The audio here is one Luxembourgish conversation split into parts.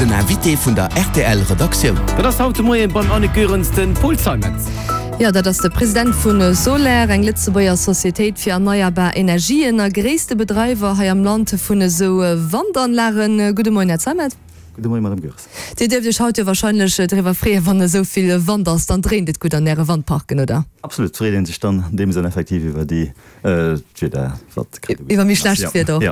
Den Invité vun der rtl Redaktioun. Dat ass haut de Moien beim Annick Goerens de Paul Zeimetz. Jo, dat ass de President vu Soler, eng Lëtzebuerger Societéit fir erneierbar Energien a gréisste Bedreiwer hei am Land vun esou Wandanlagen. Gudde Moien, Här Zeimetz. Gudde Moien, Madame Goerens. Dir dierft Iech haut jo warscheinlech driwwer freeën, wann esou vill Wand ass, dann dréint et gutt an Äre Wandparken, oder? Absolut, freet ee sech dann an deem Sënn effektiv iwwer déi D'Wieder, wat grad esou Iwwer méi schlecht Wieder och.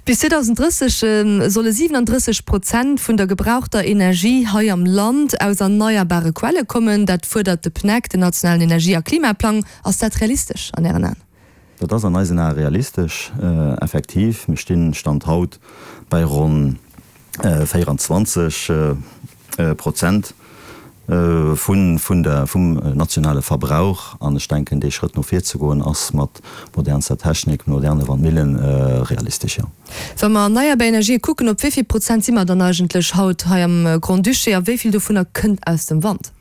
Bis 2030 solle 37 Prozent vun der gebrauchter Energie hei am Land aus erneierbare Quelle kommen. Dat fuerdert de PNEC, den nationalen Energie a Klimaplang. Ass dat realistesch an Ären Aen? Dat ass an eisen Ae realistesch, effektiv. Mir stinn, Stand haut, bei ronn 24 Prozent vun der, vum nationale Verbrauch. An ech denken, dee Schrëtt no vir ze goen, ass mat modernster Technik, moderne Wandmillen realistesch, jo. Wa mer erneierbar Energië kucken, op wéi vill Prozent si mer dann eigentlech haut hei am Grand-Duché a wéi vill dovunner kënnt aus dem Wand?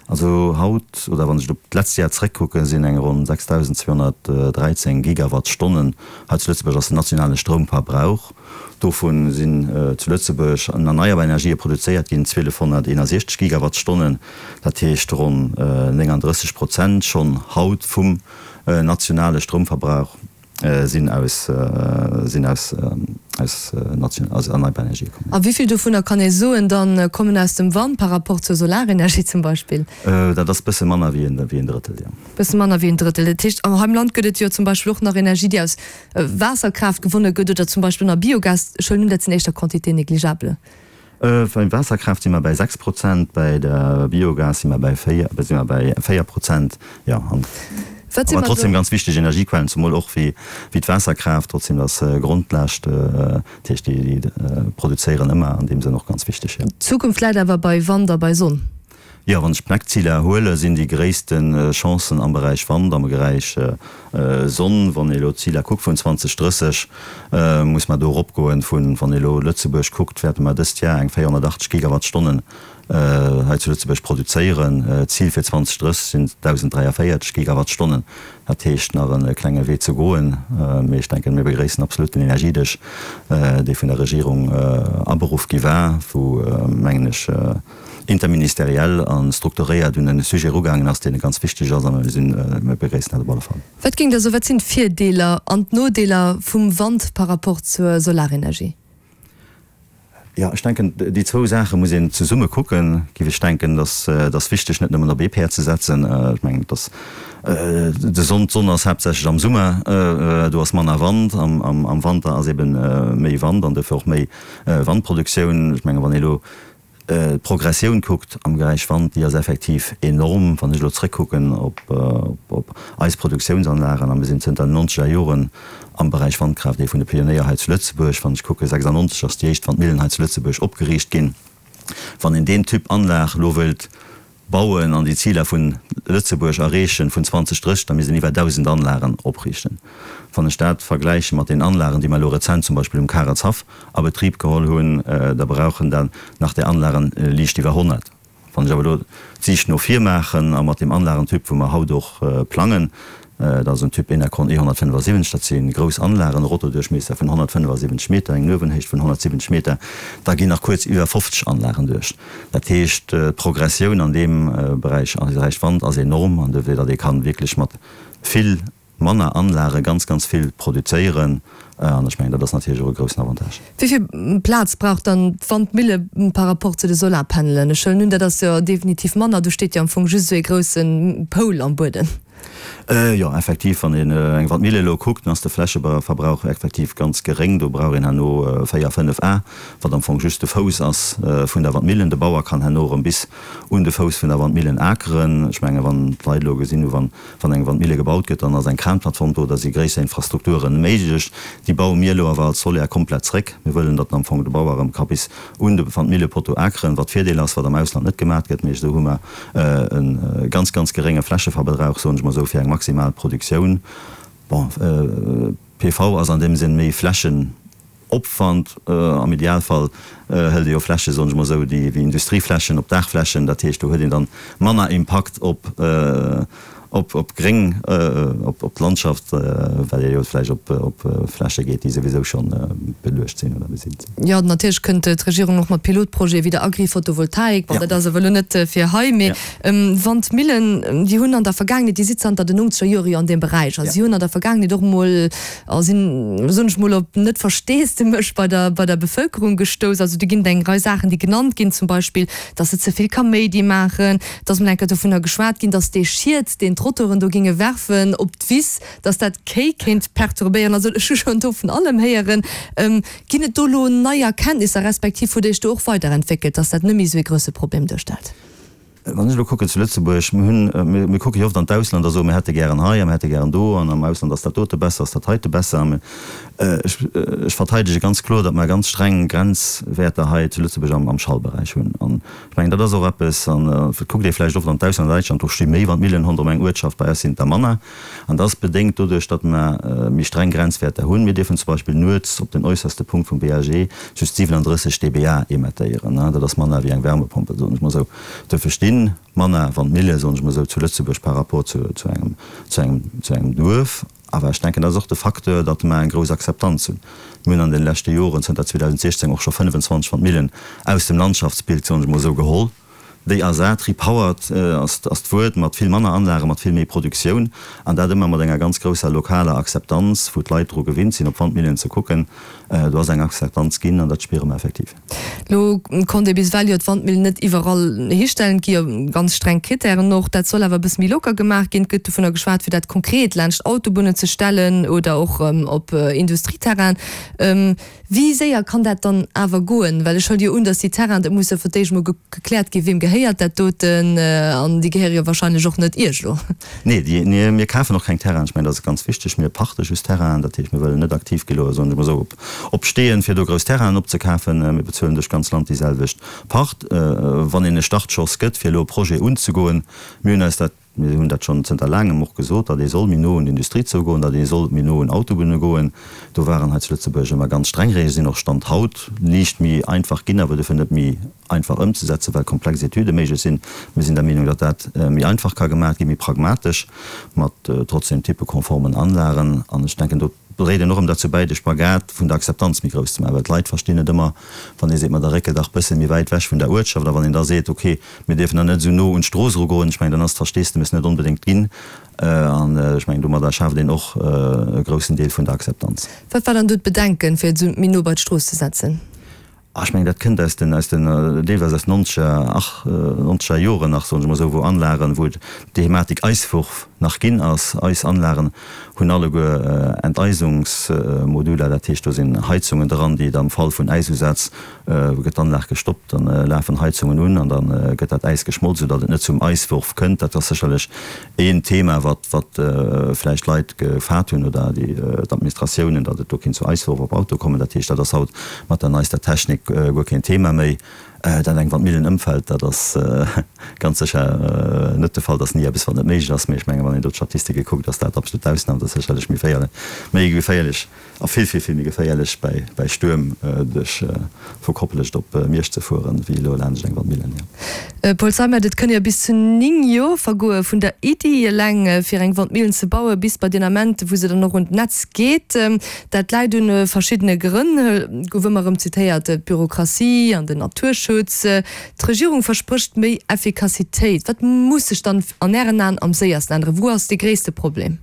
Also haut, oder wann ech op d'letzt Jar zréckkucken, sinn eng ronn 6.213 Gigawattstonnen hei zu Lëtzebuerg ass den nationale Stroumverbrauch. Dovun sinn zu Lëtzebuerg an erneierbar Energië produzéiert ginn 1.261 Gigawattstonnen, dat heescht ronn 39 Prozent schonn haut vum nationale Stroumverbrauch. Sinn aus sinn aus aus nation aus erneierbar Energië kommen. A wéi vill dovunner kann ee soen dann kommen aus dem Wand par rapport zur Solarenergie zum Beispill? Dat ass bësse manner wéi en wéi en Drëttel, jo. Bësse manner wéi en Drëttel. Dat heescht, hei am Land gëtt et jo zum Beispill och nach Energie, déi aus Waasserkraaft gewonne gëtt oder zum Beispill nach Biogas. Ech huelen un, dat sinn éischter Quantités négligeables. Beim Waasserkraaft si mer bäi 6 Prozent, bäi der Biogas si mer bäi 4, si mer bäi 4 Prozent, jo. An awer trotzdem ganz wichteg Energiequellen, zemol och wéi d'Waasserkraaft, trotzdem dat ass Grondlaascht, dat heescht déi produzéieren ëmmer, an deem Sënn och ganz wichteg, jo. D'Zukunft läit awer bei Wand a bei Sonn. Jo, wann ech d'Pneckziler huelen, sinn déi gréisste Chancen am Beräich Wand, am Beräich Sonn. Wann ee elo d'Ziler kuckt vun 2030, muss mer do eropgoen vun, wann ee elo Lëtzebuerg kuckt, wäerte mer dëst Jar eng 480 Gigawattstonnen hei zu Lëtzebuerg produzéieren. D'Zil fir 2030 sinn 1.043 Gigawattstonnen. Dat heescht, nach e klenge Wee ze goen. Mee ech denken, mir begréissen absolut den Energiedësch, dee vun der Regierung aberuff gi war, wou, mengen ech, interministeriell a strukturéiert un e Sujet erugaangen ass, deen ganz wichteg ass, a mir sinn, mir begréissen dat op alle Fall. Wat géingt Der soen, wat sinn d'Virdeeler an d'Nodeeler vum Wand par rapport zur Solarenergie? Jo, ech denken, déi zwou Saache muss een zesumme kucken, géif ech denken. Et ass wichteg, net nëmmen op ee Päerd ze setzen. Ech mengen, et ass de Sonn, d'Sonn ass haaptsächlech am Summer, do ass manner Wand, am Wanter ass ebe méi Wand an dofir och méi Wandproduktioun. Ech mengen, wann ee elo D'Progressioun kuckt am Beräich Wand, déi ass effektiv enorm. Wann ech elo zréckkucken op eis Produktiounsanlagen, a mir sinn zënter den nonzeger Joren am Beräich Wandkraaft ee vun de Pionéier hei zu Lëtzebuerg. Wann ech kucken, 96 ass déi éischt Wandmillen hei zu Lëtzebuerg opgeriicht ginn. Wann een deen Typ Anlag elo wëllt bauen an déi Ziler vun Lëtzebuerg erreechen vun 2030, da misst een iwwer 1.000 Anlagen opriichten. Wann ech dat vergläiche mat den Anlagen, déi mer elo rezent zum Beispill um Karetshaff a Betrib geholl hunn, da brauchen dat nach där Anlagen liicht iwwer 100. Wann ech awer elo d'Siicht no vir maachen a mat deem Anlagentyp, wou mer haut och plangen, Dat ass en Typ Enercon E 175, dat si grouss Anlagen, e Rotoduerchmiesser vun 175 Meter, eng Nuewenhéicht vun 170 Meter. Da ginn nach kuerz iwwer 50 Anlagen duerch. Dat heescht, d'Progressioun an deem Beräich, am Beräich Wand, ass enorm an dofir, datt ee kann wierklech mat vill manner Anlage ganz, ganz vill produzéieren. An ech mengen, dat ass natierlech och e groussen Avantage. Wéi vill Plaz brauch dann d'Wandmille par rapport zu de Solarpanelen? Ech huelen un, dat ass jo definitiv manner. Do steet jo am Fong just esou ee grousse Poul am Buedem. Jo, effektiv, wann een eng Wandmille elo kuckt, dann ass de Flächeverbrauch effektiv ganz geréng. Do brauch een herno 4, 5 A, wat am Fong just de Fouss ass vun der Wandmillen. De Bauer kann herno erëm bis un de Fouss vun der Wandmillen akeren. Ech menge wann d'Leit elo gesinn hu, wann eng Wandmille gebaut gëtt, dann ass eng Kranplattform do, da si gréisser Infrastrukture méiglech. Déi baue mir elo awer als Soler komplett zréck. Mir wëllen, datt am Fong de Bauer erëm ka bis un de Wandmillepotto akeren, wat Virdeel ass, wat am Ausland net gemat gëtt. Mee esou hu mer e ganz, ganz gerénge Flächeverbrauch, soen ech mol esou, fir eng maximal Produktioun. Bon, PV ass an deem Sënn méi Flächenopwand. Am Idealfall hëlt ee jo Flächen, soen ech mol esou, déi wéi Industrieflächen op Daachflächen. Dat heescht, do huet een dann manner Impakt op. op op gréng, op op d'Landschaft, well ee jo vläicht op op Fläche geet, déi souwisou schonn beluecht sinn oder besitt sinn. Jo, natierlech kënnt d'Regierung och mat Pilotprojete wéi der Agri-Photovoltaik. Bon, dat ass awer elo net fir hei, mee Wandmillen, déi hunn an der Vergaangenheet, déi si zanter den nongzeger Jore jo an deem Beräich, a si hunn an der Vergaangenheet och emol, a sinn, soen ech mol, op net Versteesdemech bei der bei der Bevëlkerung gestouss. Also do ginn et eng Rei Saachen, déi genannt ginn, zum Beispill, datt se ze vill Kaméidi maachen, Et ass mol eng Kéier dovunner geschwat ginn, datt dee Schiet, deen d'Rotoren do géinge werfen op d'Wiss, datt dat d'Kéi kéint perturbéieren. Also ech hu schonn do vun allem héieren. Ginn et do elo nei Erkenntnisser, respektiv hutt Dir Iech do och weiderentwéckelt, datt dat net méi esou ee grousse Problem duerstellt? Wann ech elo kucken zu Lëtzebuerg, mir hunn, mir kucke jo oft an d'Ausland a soen, mir hätte gären hei a mir hätte gären do an am Ausland ass dat dote besser, ass dat heite besser. Ech verteidege ganz kloer, datt mer ganz streng Grenzwäerter hei zu Lëtzebuerg am Schallberäich hunn. An Ech mengen, dat ass och eppes, an et kuckt ee vläicht oft an d'Ausland, an Däitschland, do sti méi Wandmillen ronderëm eng Uertschaft, bei eis sinn et der manner. An dat ass bedéngt doduerch, datt mer méi streng Grenzwäerter hunn. Mir dierfen zum Beispill nuets op den äusserste Punkt vum BAG just 37 dBA emettéieren. Dat ass manner wéi eng Wärmepompe, soen ech mol esou. Duerfir sti manner Wandmille, soen ech mol esou, zu Lëtzebuerg par rapport zu engem, zu engem, zu engem Duerf. Awer ech denken, dat ass och de Facteur, datt mer eng grouss Akzeptanz hunn. Mir hunn an de leschte Joren, zënter 2016, och scho 25 Wandmillen aus dem Landschaftsbild, soen ech emol esou, geholl, déi ersat, repowered ass d'Wuert, mat vill manner Anlagen, mat vill méi Produktioun, an dat ëmmer mat enger ganz grousser lokaler Akzeptanz, wou d'Leit dru gewinnt sinn, op Wandmillen ze kucken. Do ass eng Akzeptanz ginn, an dat spiere mer effektiv. Lo konnt ee bis ewell jo d'Wandmillen net iwwerall histellen. Et gi jo ganz streng Krittären och. Dat soll awer e bësse méi locker gemaach ginn. Et gëtt dovunner geschwat, fir dat konkret laanscht Autobunnen ze stellen oder och op Industrieterrainen. Wéi séier kann dat dann awer goen? Well ech huele jo un, datt déi Terrainen, dat muss jo fir d'éischt emol gekläert ginn, weem gehéiert dat doten? An déi gehéiere jo wahrscheinlech och net Iech elo. Nee, déi, mir kafen och keng Terrainen. Ech mengen, dat ass ganz wichteg. Mir pachte just Terrainen. Dat heescht, mir wëllen net aktiv gi lo, soen ech emol esou, op Op Steeën, fir do grouss Terrainen opzekafen. Mir bezuelen duerch d'ganz Land déi selwecht Pacht. Wann een e Startschoss gëtt, fir elo e Projet unzegoen, mir hunn eis dat, mir hunn dat schonn zënter laangem och gesot, datt ee soll méi no un d'Industrie zougoen, datt ee soll méi no un Autobunne goen. Do waren hei zu Lëtzebuerg ëmmer ganz streng Reegelen, sinn och Stand haut liicht méi einfach ginn, awer dofir net méi einfach ëmzesetzen, well komplex Etüde méiglech sinn. Mir sinn der Meenung, datt dat méi einfach ka gemaach ginn, méi pragmatesch, mat trotzdem typekonformen Anlagen. An ech denken, do dréit een och ëm derzou bäi, de Spagat vun der Akzeptanz méi grouss ze maachen, well d'Leit verstinn net ëmmer, wann ee seet, ma da réckel dach bësse méi wäit wech vun der Uertschaft, a wann een da seet, ok, mir dierfen dann net esou no un d'Strooss erugoen, ech mengen, dann ass d'Versteesdemes net onbedéngt ginn. An ech mengen, domadder schaaft een och e groussen Deel vun der Akzeptanz. Wat war dann do d'Bedenken, fir et esou méi no bei d'Strooss ze setzen? Ah, ech mengen, dat kënnt aus den, aus den, deelweis aus nonzeger, ach, nonzeger Joren nach, soen ech emol esou, wou Anlagen, wou d'Thematik Eiswurf nach ginn ass. Eis Anlagen hunn alleguer Enteisungsmoduler, dat heescht, do sinn Heizungen dran, déi am Fall vun Äisusaz, gëtt d'Anlag gestoppt, dann lafen Heizungen un an da gëtt dat Äis geschmolz, soudatt et net zum Eiswurf kënnt. Dat ass sécherlech een Thema, wat, wat vläicht d'Leit gefaart hunn oder déi, d'Administratiounen, datt et do kéint zu Eiswurf op Auto kommen. Dat heescht, dat ass haut mat der neister Technik guer keen Thema méi. Dat eng Wandmillen ëmfält, dat ass ganz sécher net de Fall. Dat ass ni eppes, wat net méiglech ass. Mee ech mengen, wann een do d'Statistike kuckt, ass dat absolut d'Ausnam. Dat ass sécherlech méi féierlech, méi geféierlech A vill, vill, vill méi geféierlech bäi bäi Stuerm duerch vu Koplescht op Miersch ze fueren, wéi elo laanscht eng Wandmillen, jo. Paul Zeimet, Et kënne jo bis zu 9 Joer vergoe vun der Iddi eleng fir eng Wandmillen ze bauen, bis bei deen Ament wou se dann och un d'Netz geet. Dat läit un verschiddene Grënn, gouf ëmmer erëm zitéiert, d'Bürokratie an den Naturschutz. D'Regierung versprécht méi Effikassitéit. Wat muss sech dann an Ären Aen am séiersten änneren? Wou ass dee gréisste Problem?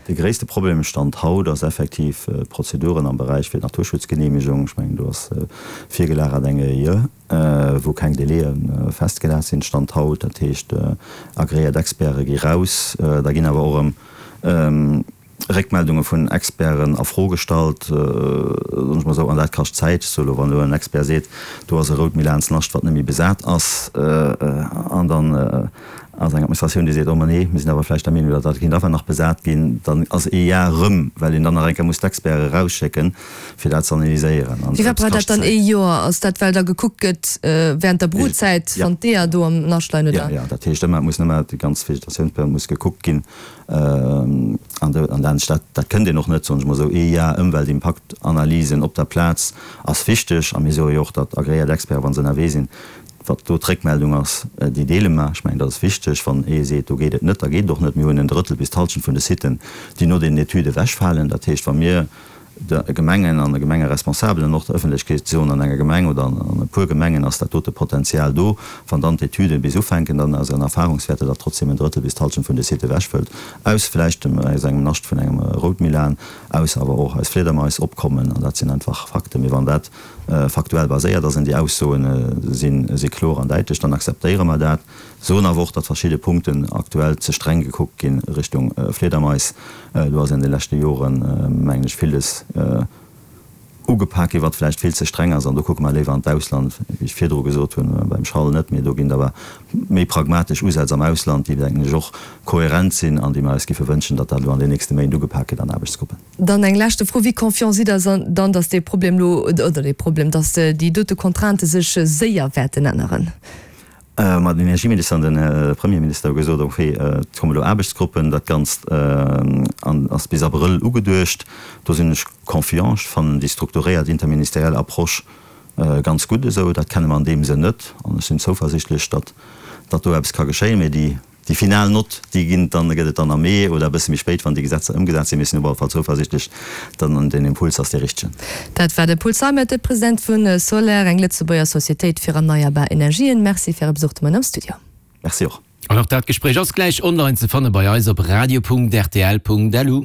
De gréisste Problem Stand haut ass effektiv d'Prozeduren am Beräich fir d'Naturschutzgenehmegung. Ech mengen, do ass virgelagert eng EIE, wou keng Délaië festgelat sinn, Stand haut. Dat heescht, agreéiert Experte gi raus. Da ginn awer och erëm Réckmeldunge vun Experten a Fro gestallt, soen ech mol esou, an dat kascht Zäit. Ech soe lo, wann elo en Expert seet, do ass e rout Milansnascht, wat net méi besat ass, an dann, Ass eng Administratioun, déi seet, oh ma nee, mir sinn awer vläicht der Meenung, datt dat kéint awer nach besat ginn, dann ass ee Jar erëm, well een dann nach eng Kéier muss d'Experte erausschécken, fir dat ze analyséieren. An Firwat brauch dat dann ee Joer? Ass dat, well da gekuckt gëtt während der Brutzäit, wann d'Eeër do am Nascht leien, oder? Jo, jo, dat heescht ëmmer, et muss ëmmer déi ganz Vegetatiounsperiod muss gekuckt ginn. An an dat, dat kënnt een och net, soen ech mol esou, ee Jar Ëmweltimpaktanalysen op der Plaz ass wichteg. A mir soe jo och, datt agréiert Experten, wa se ënnerwee sinn,. Wat do d'Réckmeldung ass, déi deele mer. Ech mengen, dat ass wichteg. Wann ee seet, do geet et net, da geet et och net. Mir hunn en Drëttel bis d'Hallschent vun de Siten, déi no deenen Etüde ewechfalen. Dat heescht, wa mir de Gemengen an de Gemengeresponsabelen an och der Ëffentlechkeet soen, an enger Gemeng oder an e puer Gemengen ass dat dote Potenzial do, wann dann d'Etüde bis ufänken, dann aus eiser Erfahrungswäerter, datt trotzdem en Drëttel bis d'Hallschent vun de Sitë ewechfëllt, aus vläicht dem, aus engem Nascht vun engem Routmilan, aus awer och aus Fliedermais opkommen. An dat sinn einfach Fakten. Mee wann dat faktuell baséiert ass an déi Aussoen si kloer an däitlech, dann akzeptéiere mer dat, soen awer och, datt verschidde Punkten aktuell ze streng gekuckt ginn Richtung Fliedermais. Do ass an de leschte Joren, mengen ech, villes ugepak ginn, wat vläicht vill ze streng ass. An do kucke mer léiwer an d'Ausland, wéi ech virdru gesot hunn, beim Schall net, mee do ginn et awer méi pragmatesch Usätz am Ausland, déi, denken ech, och kohärent sinn an déi mer eis giffe wënschen, datt dat elo an den nächste Méint ugepak gëtt an Aarbechtsgruppen. Dann eng leschte Fro, Wéi confiant sidd Der dann, datt dee Problem elo, oder dee Problem, datt déi dote Contraintë sech séier wäerten änneren? Ma den Energieminister an den Här Premierminister hu gesot, okay, et kommen elo Aarbechtsgruppen, dat Ganzt ass bis Abrëll ugeduecht. Do sinn ech confiant. Ech fannen déi strukturéiert interministeriell Approche ganz gutt esou. Dat kenne mer an deem Sënn net. An ech sinn zouversichtlech, datt do eppes ka geschéien. Mee déi Déi final Nott, déi ginn dann, gëtt et dann am Mee oder e bësse méi spéit, wann déi Gesetzer ëmgesat sinn. Mir sinn op alle Fall zouversichtlech, datt den Impuls ass dee richtegen. Dat war de Paul Zeimet, de President vu Soler, eng Lëtzebuerger Societéit fir erneierbar Energien. Merci fir Äre Besuch de Moien am Studio. Merci och. An och dat Gespréich ass gläich online ze fanne bei eis op radio.rtl.lu.